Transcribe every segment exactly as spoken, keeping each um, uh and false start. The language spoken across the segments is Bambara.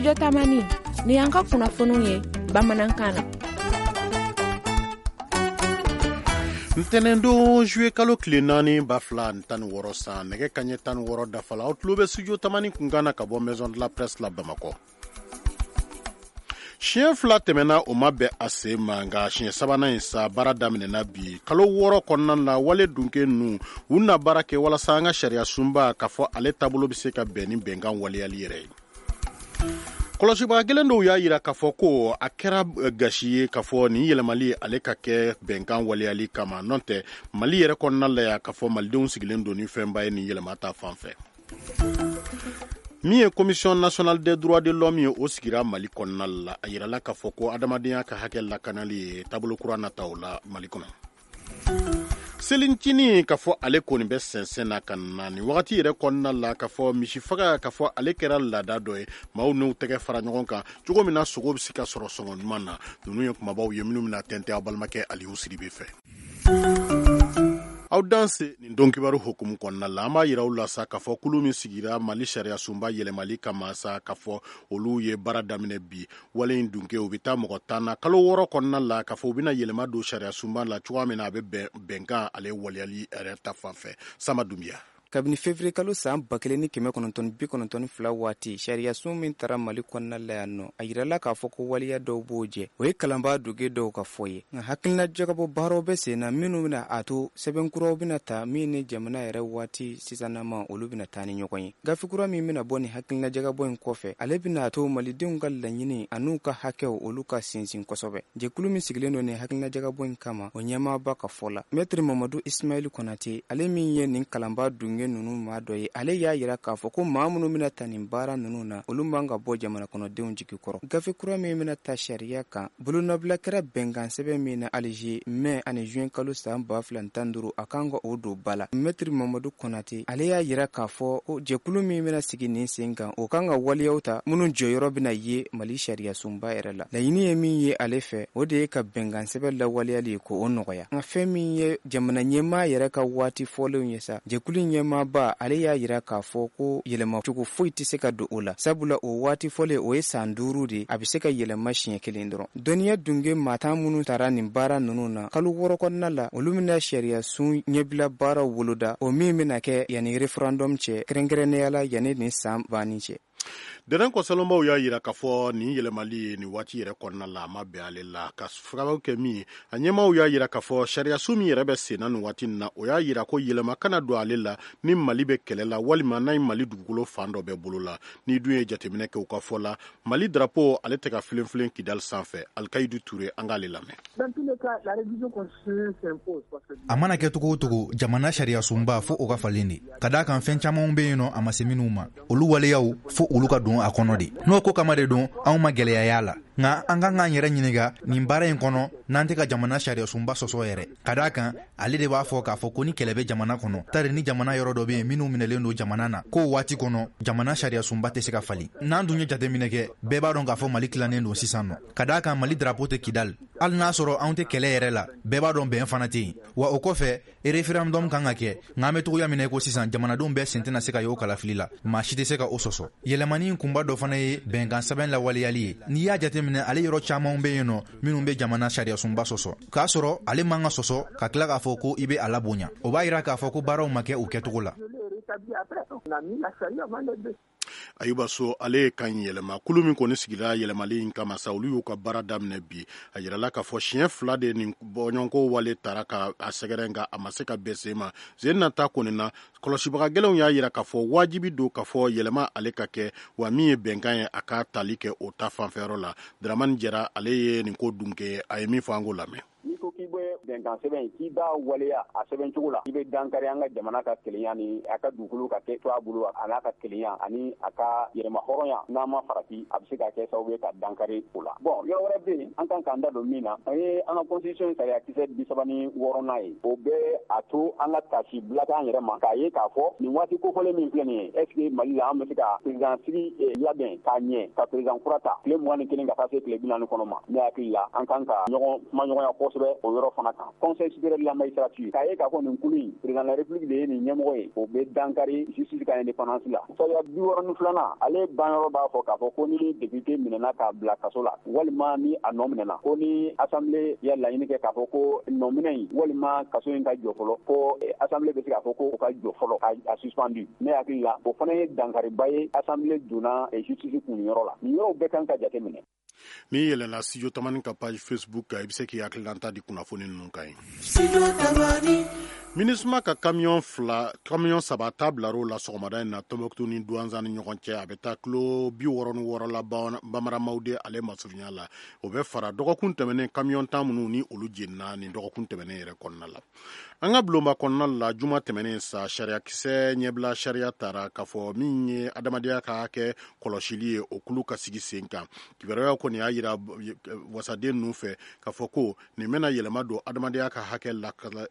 Studio Tamani, ni y'an ka kunnafoniw ye bamanankan na. Ntɛnɛndon juillet kalo tile naani ba fila ni tan ni wɔɔrɔ san, nɛgɛ kaɲɛ tan ni wɔɔrɔ dafa la, aw tulo bɛ Studio Tamani kunkan na ka bɔ Maison de la Presse la Bamakɔ. Siɲɛ fila tɛmɛna o ma bɛn a sen ma, nka siɲɛ sabanan in sa baara daminɛna bi. Kalo wɔɔrɔ kɔnɔna na, wale dunke ninnu u na baara kɛ walasa an ka sariya sunba k'a fɔ ale taabolo bɛ se ka bɛn ni bɛnkan waleyali yɛrɛ ye. Kɔlɔsibaga kelen dɔw y'a jira k'a fɔ ko a kɛra gasi ye k'a fɔ nin yɛlɛmali ale ka kɛ bɛnkan waleyali kama, n'o tɛ Mali yɛrɛ kɔnɔna la yan k'a fɔ malidenw sigilen don ni fɛnba ye nin yɛlɛma ta fan fɛ. Min ye Commission nationale des droits de l'homme ye, o sigira Mali kɔnɔna la. A yirala k'a fɔ ko adamadenya ka hakɛ lakanali ye taabolo kura nata o la Mali kɔnɔ. Selicinin k'a fɔ ale kɔni bɛ sɛnsɛn na ka na nin wagati yɛrɛ kɔnɔna la, k'a fɔ misifaga k'a fɔ ale kɛra laada dɔ ye, maaw n'u tɛgɛ fara ɲɔgɔn kan cogo min na sogo bɛ se ka sɔrɔ sɔngɔ ɲuman na. Ninnu ye kumabaw ye minnu bɛna tɛntɛn aw balimakɛ Aliyu Sidibe fɛ. Aw danse nin don kibaru hukumu kɔnɔna la, an b'a yira aw la sa k'a fɔ kulu min sigira Mali sariya sunba yɛlɛmali kama sa, k'a fɔ olu ye baara daminɛ bi. Wale in dunke u bɛ taa mɔgɔ tan na kalo wɔɔrɔ kɔnɔna la, k'a fɔ u bɛna yɛlɛma don sariya sunba la cogoya min na a bɛ bɛn bɛnkan ale waleyali yɛrɛ ta fan fɛ. Sama Dunbiya. Kabini février kalo san ba kelen ni kɛmɛ kɔnɔntɔn bi kɔnɔntɔn fila waati, sariyasun min tara Mali kɔnɔna la yan nɔ, a yirala k'a fɔ ko waleya dɔw b'o jɛ. O ye kalanbaa duge dɔw ka fɔ ye, nka hakilina jagabɔ baaraw bɛ sen na minnu bɛna a to sɛbɛnkuraw bɛna ta min ni jamana yɛrɛ waati sisanama olu bɛna taa ni ɲɔgɔn ye. Gafe kura min bɛna bɔ ni hakilina jagabɔ in kɔfɛ, ale bɛna a to malidenw ka laɲini an'u ka hakɛw olu ka sinsin kosɛbɛ. Jɛkulu min sigilen don nin hakilina jagabɔ in kama, o ɲɛmaaba ka fɔ la, Maître Mamadu Ismaël Konate, ale min ye nin kalanbaa dunge ninnu maa dɔ ye, ale y'a yira k'a fɔ ko maa minnu bɛna ta nin baara ninnu na, olu man ka bɔ jamana kɔnɔdenw jigi kɔrɔ. Gafe kura min bɛna ta sariya kan, bolonɔbila kɛra bɛnkan sɛbɛn min na Alger mai ani juin kalo san ba fila ni tan duuru, a kan ka o don ba la. Maître Mamadu Konate, ale y'a yira k'a fɔ ko jɛkulu min bɛna sigi nin sen kan, o kan ka waleyaw ta minnu jɔyɔrɔ bɛna ye Mali sariya sunba yɛrɛ la. Laɲini ye min ye ale fɛ, o de ye ka bɛnkan sɛbɛn lawaleyali ye k'o nɔgɔya. Nka fɛn min ye jamana ɲɛmaa yɛrɛ ka waati fɔlenw ye sa, jɛkulu ɲɛmaa ba ale y'a yira k'a fɔ ko yɛlɛma cogo foyi tɛ se ka don o la, sabula o waati fɔlen o ye san duuru de, a bɛ se ka yɛlɛma siɲɛ kelen dɔrɔn. Dɔnniya dunge maa tan minnu tara nin baara ninnu na kalo wɔɔrɔ kɔnɔna la, olu bɛna sariya sun ɲɛbila baaraw boloda, o min bɛna kɛ yanni référendum cɛ, kɛrɛnkɛrɛnnenya la yanni nin san banni cɛ. Dɛrɛn kɔsalonbaw y'a yira k'a fɔ nin yɛlɛmali ye nin waati yɛrɛ kɔnɔna la, a ma bɛn ale la ka sababu kɛ min ye. A ɲɛmaaw y'a yira k'a fɔ sariyasun min yɛrɛ bɛ sen na nin waati in na, o y'a yira ko yɛlɛma kana don ale la ni Mali bɛ kɛlɛ la walima n'a ye Mali dugukolo fan dɔ bɛ bolo la. N'i dun ye jateminɛ kɛ u ka fɔ la, Mali drapeau ale tɛ ka filenfilen Kidali sanfɛ. Alikayidu Ture, an k'ale lamɛn. A mana kɛ cogo o cogo, jamana sariyasunba fo o ka falen de, ka d'a kan fɛn camanw bɛ yen nɔ a ma se minnu ma, olu waleyaw fo olu ka don a kɔnɔ de. N'o ko kama de don, anw ma gɛlɛya y'a la, nka an kan k'an yɛrɛ ɲininka nin baara in kɔnɔ n'an tɛ ka jamana sariyasunba sɔsɔ yɛrɛ, ka d'a kan ale de b'a fɔ k'a fɔ ko ni kɛlɛ bɛ jamana kɔnɔ, tari ni jamana yɔrɔ dɔ bɛ yen minnu minɛlen don jamana na, k'o waati kɔnɔ jamana sariyasunba tɛ se ka falen. N'an dun ye jateminɛ kɛ, bɛɛ b'a dɔn k'a fɔ Mali tilannen don sisan nɔ, ka d'a kan Mali drapeau tɛ Kidali. Hali n'a sɔrɔ anw tɛ kɛlɛ yɛrɛ la, bɛɛ b'a dɔn bɛn fana tɛ yen. Wa o kɔfɛ, référendum kan ka kɛ, nka an bɛ togoya min na i ko sisan, jamanadenw bɛɛ sen tɛna se ka y'o kalafili la, maa si tɛ se ka o sɔsɔ. Yɛlɛmani kunba dɔ fana ye bɛnkan sɛbɛn lawaleyali ye. N'i y'a jateminɛ, ale yɔrɔ camanw bɛ yen nɔ minnu bɛ jamana sariyasunba sɔsɔ, k'a sɔrɔ ale man ka sɔsɔ ka tila k'a fɔ ko i bɛ a labonya. O b'a yira k'a fɔ ko baaraw ma kɛ u kɛcogo la. Ayuba So, ale ye kan yɛlɛma. Kulu min kɔni sigira yɛlɛmali in kama sa, olu y'u ka baara daminɛ bi. A yirala k'a fɔ siɲɛ fila de nin bɔɲɔgɔnko wale tara ka a sɛgɛrɛ, nka a ma se ka bɛn sen ma. Sen nata kɔni na, kɔlɔsibaga gɛlɛnw y'a yira k'a fɔ wajibi don k'a fɔ yɛlɛma ale ka kɛ, wa min ye bɛnkan ye a ka tali kɛ o ta fanfɛyɔrɔ la. Dramani Jara, ale ye nin ko dunke, a ye min fɔ an k'o lamɛn. N'i ko k'i bɛ bɛnkan sɛbɛn in, k'i b'a waleya a sɛbɛn cogo la, i bɛ dankari an ka jamana ka kelenya ni a ka dugukolo ka kɛ to a bolo, a n'a ka kelenya ani a ka yɛrɛma hɔrɔnya. N'a ma farati, a bɛ se ka kɛ sababu ye ka dankari o la. Bon, yɔrɔ wɛrɛ bɛ yen an kan k'an da don min na, an ye an ka constitution sariya kisɛ bi saba ni wɔɔrɔnan ye, o bɛ a to an ka tasi bila k'an yɛrɛ ma k'a ye k'a fɔ nin waati kofɔlen min filɛ nin ye, est ce que Mali la an bɛ se ka président sigi labɛn k'a ɲɛ, ka président kura ta tile mugan ni kelen ka taa se tile bi naani kɔnɔ ma? Ne hakili la, an kan ka ɲɔgɔn kumaɲɔgɔnya kosɛbɛ o yɔrɔ fana kan. kan Conseil supérieur de la magistrature k'a ye k'a fɔ nin kulu in président de la République de ye nin ɲɛmɔgɔ ye, o bɛ dankari justice ka indépendance la. Sariya bi wɔɔrɔ ni filanan ale banyɔrɔ b'a fɔ k'a fɔ ko ni député minɛna k'a bila kaso la walima ni a nɔ minɛna, ko ni assemblée ya laɲini kɛ k'a fɔ ko nɔminɛ in walima kaso in ka jɔ fɔlɔ, ko assemblée bɛ se k'a fɔ ko o ka jɔ fɔlɔ a suspendu. Ne hakili la o fana ye dankariba ye assemblée donna justice kun yɔrɔ la. Nin yɔrɔw bɛɛ kan ka jate minɛ. N'i yɛlɛnna Studio Tamani ka page Facebook kan, i bɛ se k'i hakilinata di kunnafoni ninnu kan yen. MINUSMA ka camion fila camion saba ta bilar'o la sɔgɔmada in na Tɔnbɔkutu ni Duwanzan ni ɲɔgɔn cɛ. A bɛ taa kilo bi wɔɔrɔ ni wɔɔrɔ la Bamaramaw ale masurunya la. O bɛ fara dɔgɔkun tɛmɛnen camion tan minnu ni olu jenina nin dɔgɔkun tɛmɛnen yɛrɛ kɔnɔna la. An ka bulonba kɔnɔna la juma tɛmɛnen sa, sariyakisɛ ɲɛbila sariya tara k'a fɔ min ye adamadenya ka hakɛ kɔlɔsili ye, o kulu ka sigi sen kan. Kibaruyaw kɔni y'a yira wasaden ninnu fɛ k'a fɔ ko nin bɛna yɛlɛma don adamadenya ka hakɛ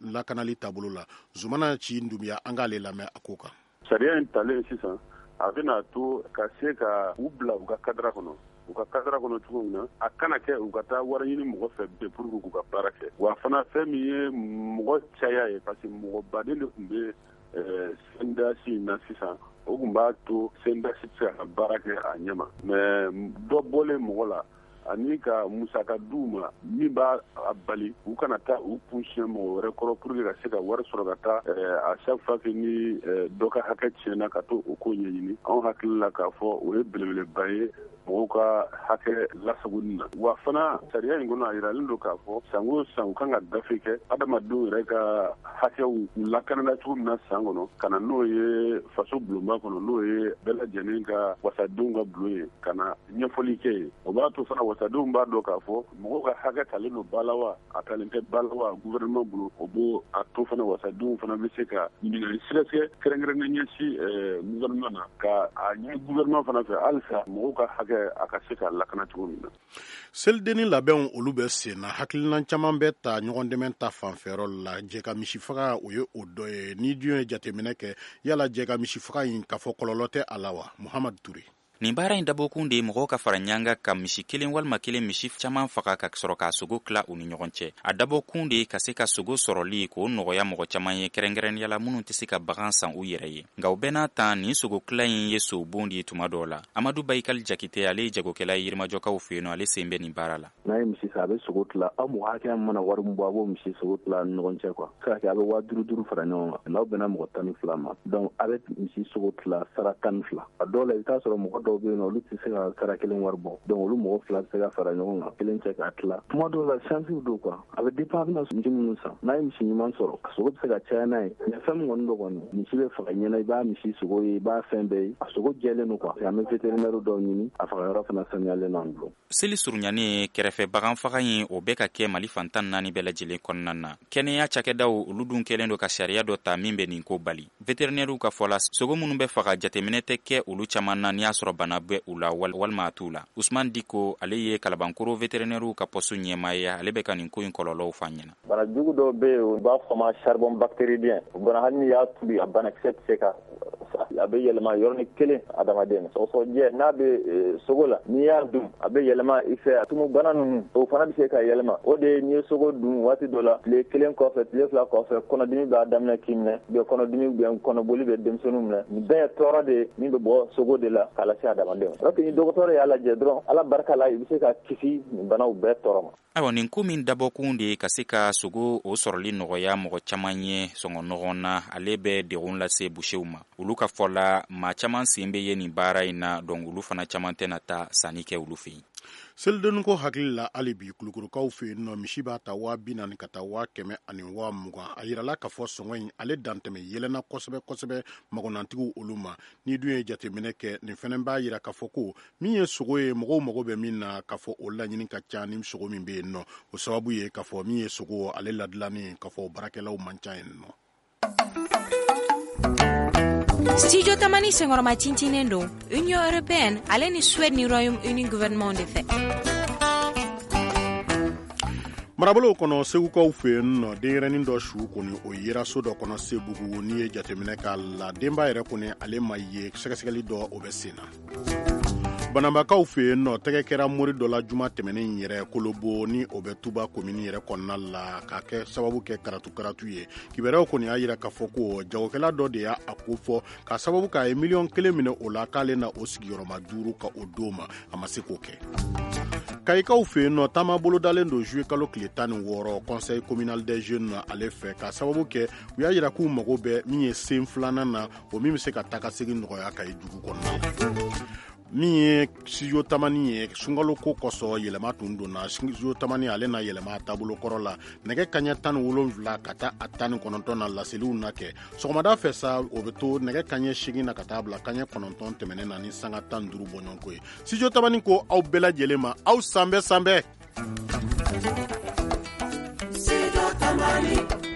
lakanali taabolo la. Zumana Ci Dunbiya, an k'ale lamɛn a ko kan. Sariya in talen sisan, a bɛna to ka se ka u bila u ka kadara kɔnɔ, u ka kadara kɔnɔ cogo min na a kana kɛ u ka taa wari ɲini mɔgɔ fɛ bɛɛ pour que k'u ka baara kɛ. Wa fana fɛn min ye mɔgɔ caya ye, parce que mɔgɔ baden de tun bɛ C N D H in na sisan, o tun b'a to C N D H tɛ se ka baara kɛ a ɲɛ ma. Mais dɔ bɔlen mɔgɔ la ani ka musaka d'u ma min b'a bali u kana taa u kun siɲɛ mɔgɔ wɛrɛ kɔrɔ pour que ka se ka wari sɔrɔ ka taa à chaque fois que ni dɔ ka hakɛ tiɲɛna ka to o ko ɲɛɲini. Anw hakili la k'a fɔ o ye belebeleba ye mɔgɔw ka hakɛ lasagoni na. Wa fana sariya in kɔnɔ a yiralen don k'a fɔ san o san u kan ka gafe kɛ adamadenw yɛrɛ ka hakɛw u lakanana cogo min na san kɔnɔ, ka na n'o ye faso bulonba kɔnɔ, n'o ye bɛɛ lajɛlen ka wasadenw ka bulon ye, ka na ɲɛfɔli kɛ yen. O b'a to fana wasadenw b'a dɔn k'a fɔ mɔgɔw ka hakɛ talen don ba la wa a talen tɛ ba la wa gouvernement bolo. O b'o a to fana wasadenw fana bɛ se ka ɲininkali sɛgɛsɛgɛ kɛrɛnkɛrɛnnen ɲɛsin gouvernement na, ka a ɲini gouvernement fana fɛ halisa mɔgɔw ka hakɛ a ka se ka lakana cogo min na. Selidenni labɛnw olu bɛ sen na, hakilina caman bɛ ta ɲɔgɔn dɛmɛ ta fanfɛyɔrɔ la. Jɛ ka misi faga o ye o dɔ ye. Ni dun ye jateminɛ kɛ, yala jɛ ka misi faga in k'a fɔ kɔlɔlɔ tɛ a la wa? Muhamadu Ture. Nin baara in dabɔkun de ye mɔgɔw ka fara ɲanga ka misi kelen walima kelen misi caman faga ka sɔrɔ k'a sogo tila u ni ɲɔgɔn cɛ. A dabɔkun de ye ka se ka sogo sɔrɔli k'o nɔgɔya mɔgɔ caman ye, kɛrɛnkɛrɛnnenya la minnu tɛ se ka bagan san u yɛrɛ ye. Nka o bɛɛ n'a ta, nin sogo tila in ye sobon de ye tuma dɔw la. Amadu Bayikali Jakite, ale ye jagokɛla ye Yirimajɔkaw fɛ yen nɔ, ale sen bɛ nin baara la. N'a ye misi san, a bɛ sogo tila. Aw mɔgɔ hakɛya mana wari min bɔ, a b'o misi sogo tila ni ɲɔgɔn cɛ quoi. Se ka kɛ a bɛ waa duuru duuru fara ɲɔgɔn kan. N'aw bɛnna mɔgɔ tan ni fila ma, donc a bɛ misi sogo tila sara tan ni fila. A dɔw la i bɛ taa sɔrɔ mɔgɔ dɔw bɛ yen nɔ, olu tɛ se ka sara kelen wari bɔ, donc olu mɔgɔ fila bɛ se ka fara ɲɔgɔn kan kelen cɛ k'a tila. Tuma dɔw la chance don quoi, a bɛ dépend a bɛna misi minnu san. N'a ye misi ɲuman sɔrɔ, a sogo bɛ se ka caya n'a ye. Mais fɛn min kɔni don kɔni, misi bɛ faga ɲɛna, i b'a misi sogo ye, i b'a fɛn bɛɛ ye, a sogo jɛlen don quoi. An bɛ vétérinaire dɔw ɲini, a faga yɔrɔ fana sanuyalen don an bolo. Seli surunyanen kɛrɛfɛ bagan faga in, o bɛ ka kɛ Mali fan tan naani bɛɛ lajɛlen kɔnɔna na. Kɛnɛya cakɛdaw olu dun kɛlen don ka sariya dɔ ta min bɛ nin ko bali. Vétérinaires ka fɔ la, sogo minnu bɛ faga jateminɛ tɛ kɛ olu caman na n'i y'a sɔrɔ bana bɛ u la walima a t'u la. Usman Diko, ale ye Kalabankoro vétérinaires ka poste ɲɛmaa ye, ale bɛ ka nin ko in kɔlɔlɔw fɔ an ɲɛna. Bana jugu dɔw bɛ yen, u b'a fɔ ma charbon bactéridien. O bana hali n'i y'a tobi, a banakisɛ tɛ se ka a bɛ yɛlɛma yɔrɔnin kelen adamaden na. Sɔgɔsɔgɔnijɛ n'a bɛ sogo la, n'i y'a dun a bɛ yɛlɛma i fɛ. Tumu bana ninnu o fana bɛ se ka yɛlɛma. O de ye n'i ye sogo dun waati dɔ la, tile kelen kɔfɛ, tile fila kɔfɛ, kɔnɔdimi b'a daminɛ k'i minɛ, ou bien kɔnɔdimi ou bien kɔnɔboli bɛ denmisɛnninw minɛ. Nin bɛɛ ye tɔɔrɔ de ye min bɛ bɔ sogo de la k'a lase adamaden ma. Alors que ni dɔgɔtɔrɔ y'a lajɛ dɔrɔn, Ala barika la, i bɛ se ka kisi nin banaw bɛɛ tɔɔrɔ ma. Ayiwa, nin ko min dabɔkun de ye ka se ka sogo o sɔrɔli nɔgɔya mɔgɔ caman ye sɔngɔ nɔgɔn na, ale bɛ degun lase busew ma. Olu ka fɔ la, maa caman sen bɛ ye nin baara in na, donc olu fana caman tɛna taa sanni kɛ olu fɛ yen. Selidenni ko hakili la hali bi Kulukorokaw fɛ yen nɔ, misi b'a ta waa bi naani ka taa waa kɛmɛ ani waa mugan. A yirala k'a fɔ sɔngɔ in ale dantɛmɛ yɛlɛnna kosɛbɛ kosɛbɛ magonantigiw olu ma. Ni dun ye jateminɛ kɛ, nin fɛnɛ b'a yira k'a fɔ ko min ye sogo ye, mɔgɔw mago bɛ min na k'a fɔ o laɲini ka ca ni sogo min bɛ yen nɔ. O sababu ye k'a fɔ min ye sogo ale ladilanni k'a fɔ baarakɛlaw man ca yen nɔ. Studio Tamani senkɔrɔma tintinnen don Union européenne ale ni Suède ni Royaume-Uni gouvernement de fɛ. Marabolow kɔnɔ, Segukaw fɛ yen nɔ, denyɛrɛnin dɔ su kɔni o yera so dɔ kɔnɔ Sebugu. N'i ye jateminɛ k'a la, denba yɛrɛ kɔni ale ma ye, sɛgɛsɛgɛli dɔ o bɛ sen na. Banabakaw fɛ yen nɔ, tɛgɛ kɛra mori dɔ la juma tɛmɛnen yɛrɛ Kolobo, ni o bɛ Tuba komini yɛrɛ kɔnɔna la, k'a kɛ sababu kɛ karatu karatu ye. Kibaruyaw kɔni y'a jira k'a fɔ ko jagokɛla dɔ de y'a ko fɔ k'a sababu k'a ye miliyɔn kelen minɛ o la, k'ale na o sigiyɔrɔma duuru ka o d'o ma, a ma se k'o kɛ. Kayikaw fɛ yen nɔ, taama bolodalen don juillet kalo tile tan ni wɔɔrɔ conseil communal des jeunes ale fɛ, k'a sababu kɛ u y'a jira k'u mago bɛ min ye sen filanan na, o min bɛ se ka taa ka segin nɔgɔya Kayi dugu kɔnɔna. Min ye studio Tamani ye, sunkalo ko kosɔn yɛlɛma tun donna studio Tamani, ale na yɛlɛma a taabolo kɔrɔ la nɛgɛ kaɲɛ tan ni wolonwula ka taa a tan ni kɔnɔntɔn na laseliw na kɛ. Sɔgɔmada fɛ sa, o bɛ to nɛgɛ kaɲɛ seegin na ka taa bila kaɲɛ kɔnɔntɔn tɛmɛnen na ni sanga tan ni duuru bɔɲɔgɔnko ye. Studio Tamani ko aw bɛɛ lajɛlen ma, aw sanbɛ sanbɛ. Studio Tamani.